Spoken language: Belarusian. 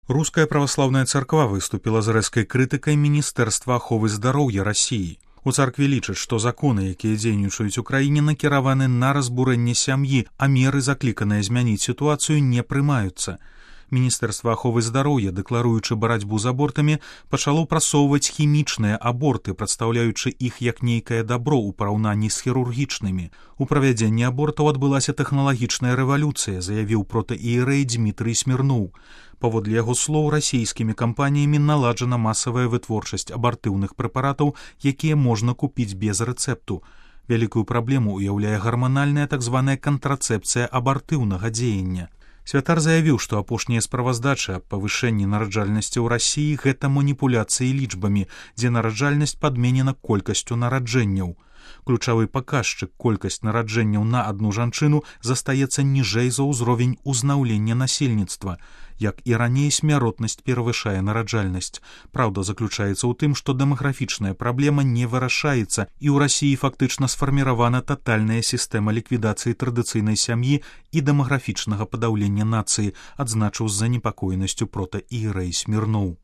Руская праваслаўная царква выступіла з рэзкай крытыкай Міністэрства аховы здароўя Расіі. У царкве лічаць, што законы, якія дзейнічаюць у краіне, накіраваны на разбурэнне сям'і, а меры, закліканыя змяніць сітуацыю, не прымаюцца. Міністэрства аховы здароўя, дэкларуючы барацьбу з абортамі, пачало прасоўваць хімічныя аборты, прадстаўляючы іх як нейкае дабро ў параўнанні з хірургічнымі. У правядзенні абортаў адбылася тэхналагічная рэвалюцыя, заявіў протаіерэй Дмітрый Смірноў. Паводле яго слоў, расійскімі кампаніямі наладжана масавая вытворчасць абартыўных прэпаратаў, якія можна купіць без рэцэпту. Вялікую праблему ўяўляе гарманальная так званая кантрацэпцыя абартыўнага дзеяння. Святар заявіў, што апошнія справаздачы аб павышэнні нараджальнасці ў Расіі – гэта маніпуляцыі лічбамі, дзе нараджальнасць падменена колькасцю нараджэнняў. Ключавы паказчык колькасць нараджэнняў на адну жанчыну застаецца ніжэй за ўзровень узнаўлення насельніцтва. Як і раней, смяротнасць перавышае нараджальнасць. Праўда заключаецца ў тым, што дэмаграфічная праблема не вырашаецца, і ў Расіі фактычна сфарміравана татальная сістэма ліквідацыі традыцыйнай сям'і і дэмаграфічнага падаўлення нацыі, адзначыў з занепакоенасцю протаіерэй Смірноў.